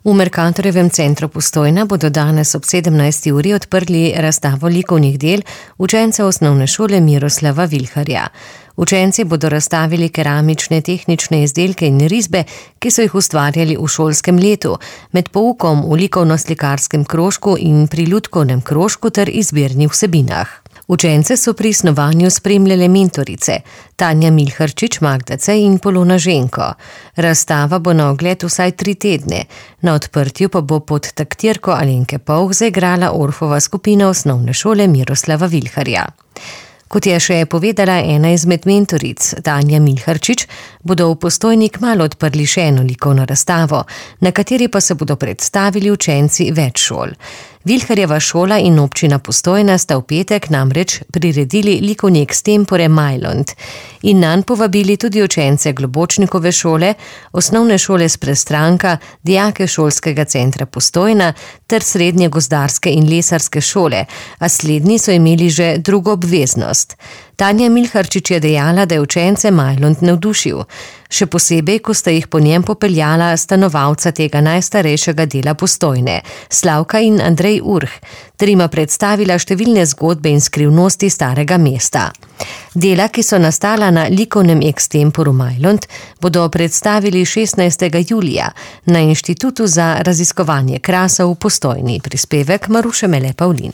V Mercatorjevem centru Postojna bodo danes ob 17. uri odprli razstavo likovnih del učencev osnovne šole Miroslava Vilharja. Učenci bodo razstavili keramične tehnične izdelke in risbe, ki so jih ustvarjali v šolskem letu, med poukom v likovno-slikarskem krožku in pri lutkovnem krožku ter izbirnih vsebinah. Učence so pri snovanju spremljale mentorice Tanja Milharčič, Magda Cej in Polona Ženko. Razstava bo na ogled vsaj 3 tedne. Na odprtju pa bo pod taktirko Alenke Povh zaigrala Orfova skupina osnovne šole Miroslava Vilharja. Kot je še povedala ena izmed mentoric, Tanja Milharčič, bodo v Postojni kmalu odprli še eno likovno razstavo, na kateri pa se bodo predstavili učenci več šol. Vilharjeva šola in občina Postojna sta v petek namreč priredili likovni extempore Majlont in nanj povabili tudi učence Globočnikove šole, osnovne šole s Prestranka, dijake šolskega centra Postojna ter srednje gozdarske in lesarske šole, a slednji so imeli že drugo obveznost. Tanja Milharčič je dejala, da je učence Majlont navdušil, še posebej, ko sta jih po njem popeljala stanovalca tega najstarejšega dela Postojne, Slavka in Andrej Urh, ter jima predstavila številne zgodbe in skrivnosti starega mesta. Dela, ki so nastala na likovnem extemporu Majlont, bodo predstavili 16. julija na Inštitutu za raziskovanje krasa v Postojni. Prispevek Maruše Mele Pavlin.